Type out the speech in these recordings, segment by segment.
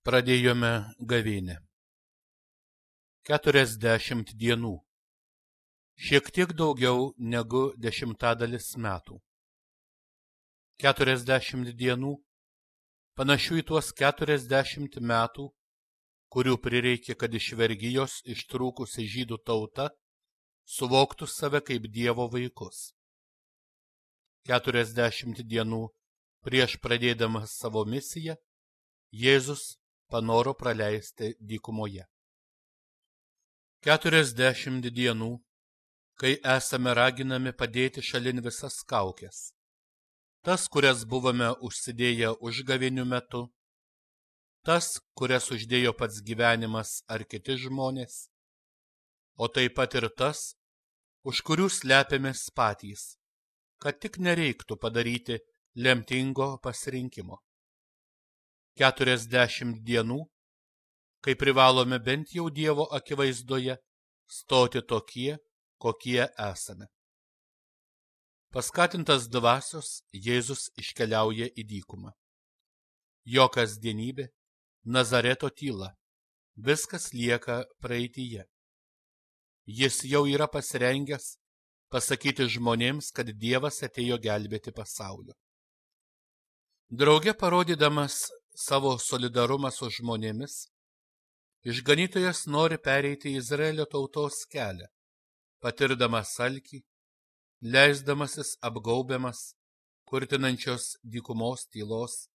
Pradėjome gavėnią. 40 dienų. Šiek tiek daugiau negu 10 metų. 40 dienų, panašių į tuos 40 metų, kurių prireikė, kad iš vergijos ištrūkusi žydų tauta suvoktų save kaip Dievo vaikus. 40 dienų prieš pradėdamas savo misiją, Jėzus panoro praleisti dykumoje. 40 dienų, kai esame raginami padėti šalin visas kaukes. Tas, kurias buvome užsidėję užgavėnių metu, tas, kurias uždėjo pats gyvenimas ar kiti žmonės, o taip pat ir tas, už kurių slepiamės patys, kad tik nereiktų padaryti lemtingo pasirinkimo. 40 dienų, kai privalome bent jau Dievo akivaizdoje stoti tokie, kokie esame. Paskatintas dvasios, Jėzus iškeliauja į dykumą. Jo kasdienybė, Nazareto tyla, viskas lieka praeityje. Jis jau yra pasirengęs pasakyti žmonėms, kad Dievas atėjo gelbėti pasaulio. Drauge parodydamas savo solidarumą su žmonėmis, išganytojas nori pereiti Izraelio tautos kelią, patirdamas alkį, leisdamasis apgaubiamas, kurtinančios dykumos tylos,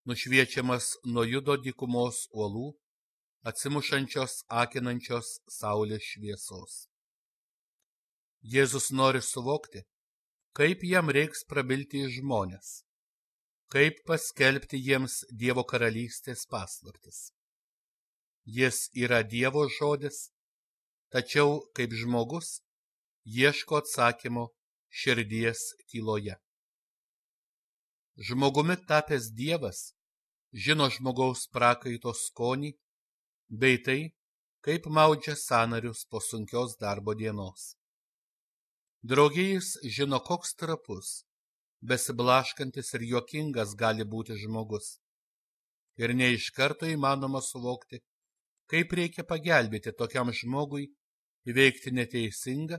nušviečiamas nuo Judo dykumos uolų, atsimušančios akinančios saulės šviesos. Jėzus nori suvokti, kaip jam reiks prabilti į žmones, kaip paskelbti jiems Dievo karalystės paslaptis. Jis yra Dievo žodis, tačiau kaip žmogus ieško atsakymo širdies tyloje. Žmogumi tapęs Dievas žino žmogaus prakaito skonį, bei tai, kaip maudžia sąnarius po sunkios darbo dienos. Drauge jis žino, koks trapus, besiblaškantis ir juokingas gali būti žmogus. Ir ne iš karto įmanoma suvokti, kaip reikia pagelbėti tokiam žmogui įveikti neteisingą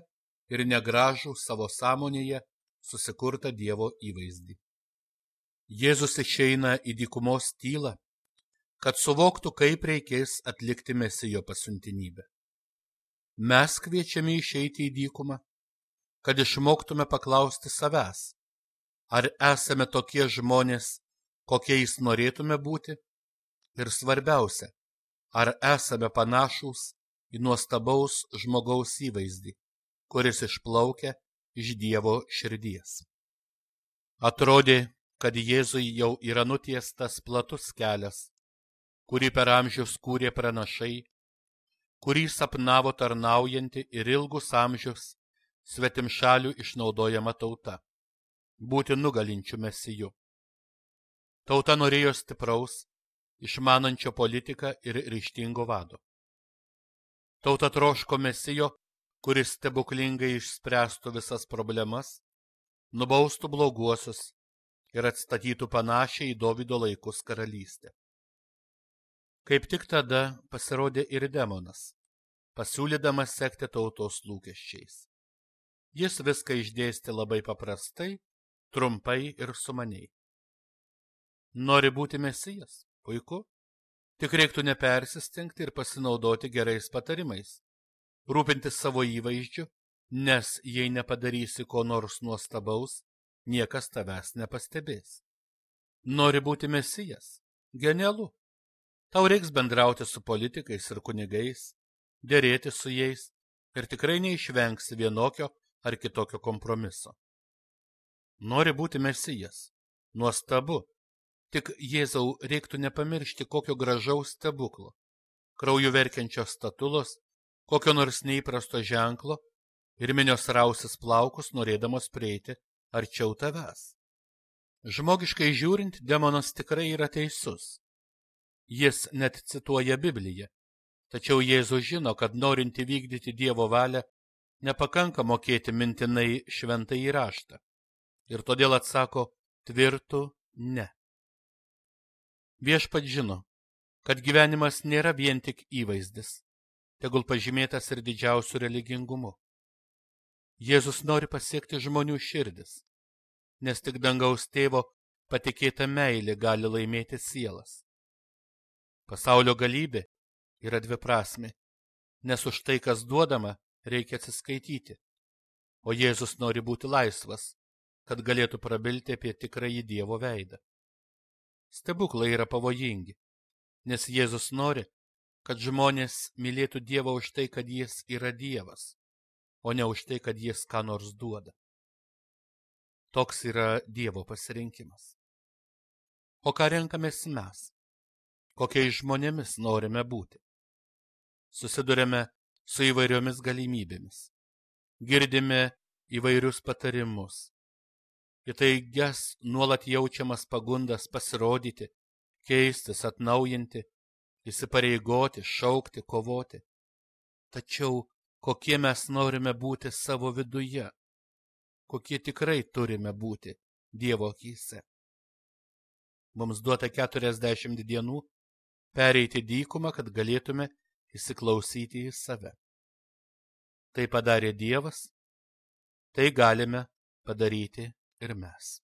ir negražų savo sąmonėje susikurtą Dievo įvaizdį. Jėzus išeina į dykumos tylą, kad suvoktų, kaip reikės atlikti Mesijo pasiuntinybę. Mes kviečiami išeiti į dykumą, kad išmoktume paklausti savęs, ar esame tokie žmonės, kokiais norėtume būti, ir svarbiausia, ar esame panašūs į nuostabaus žmogaus įvaizdį, kuris išplaukia iš Dievo širdies. Atrodė, kad Jėzui jau yra nutiestas platus kelias, kurį per amžius kūrė pranašai, kurį sapnavo tarnaujanti ir ilgus amžius svetimšalių išnaudojama tauta, būti nugalinčių Mesiju. Tauta norėjo stipraus, išmanančio politiką ir ryžtingo vado. Tauta troško Mesijo, kuris stebuklingai išspręstų visas problemas, nubaustų bloguosius ir atstatytų panašią į Dovydo laikus karalystę. Kaip tik tada pasirodė ir demonas, pasiūlydamas sekti tautos lūkesčiais. Jis viską išdėstė labai paprastai, trumpai ir sumaniai. Nori būti Mesijas? Puiku. Tik reiktų nepersistengti ir pasinaudoti gerais patarimais, rūpintis savo įvaizdžiu, nes jei nepadarysi ko nors nuostabaus, niekas tavęs nepastebės. Nori būti Mesijas? Genialu. Tau reiks bendrauti su politikais ir kunigais, derėti su jais ir tikrai neišvengsi vienokio ar kitokio kompromiso. Nori būti Mesijas? Nuostabu. Tik Jėzau reiktų nepamiršti kokio gražaus stebuklo, krauju verkiančios statulos, kokio nors neįprasto ženklo ir minios rausis plaukus, norėdamos prieiti arčiau tavęs. Žmogiškai žiūrint, demonas tikrai yra teisus. Jis net cituoja Bibliją, tačiau Jėzus žino, kad norint įvykdyti Dievo valią, nepakanka mokėti mintinai šventąjį raštą, ir todėl atsako tvirtu ne. Viešpats žino, kad gyvenimas nėra vien tik įvaizdis, tegul pažymėtas ir didžiausiu religingumu. Jėzus nori pasiekti žmonių širdis, nes tik dangaus tėvo patikėta meilė gali laimėti sielas. Pasaulio galybė yra dviprasmė, nes už tai, kas duodama, reikia atsiskaityti, o Jėzus nori būti laisvas, kad galėtų prabilti apie tikrąjį Dievo veidą. Stebuklai yra pavojingi, nes Jėzus nori, kad žmonės mylėtų Dievą už tai, kad jis yra Dievas, o ne už tai, kad jis ką nors duoda. Toks yra Dievo pasirinkimas. O ką renkamės mes? Kokiais žmonėmis norime būti? Susidurėme su įvairiomis galimybėmis. Girdime įvairius patarimus. Į taigias nuolat jaučiamas pagundas pasirodyti, keistis, atnaujinti, įsipareigoti, šaukti, kovoti. Tačiau kokie mes norime būti savo viduje? Kokie tikrai turime būti Dievo akyse? Mums duota 40 dienų pereiti dykumą, kad galėtume įsiklausyti į save. Tai padarė Dievas, tai galime padaryti ir mes.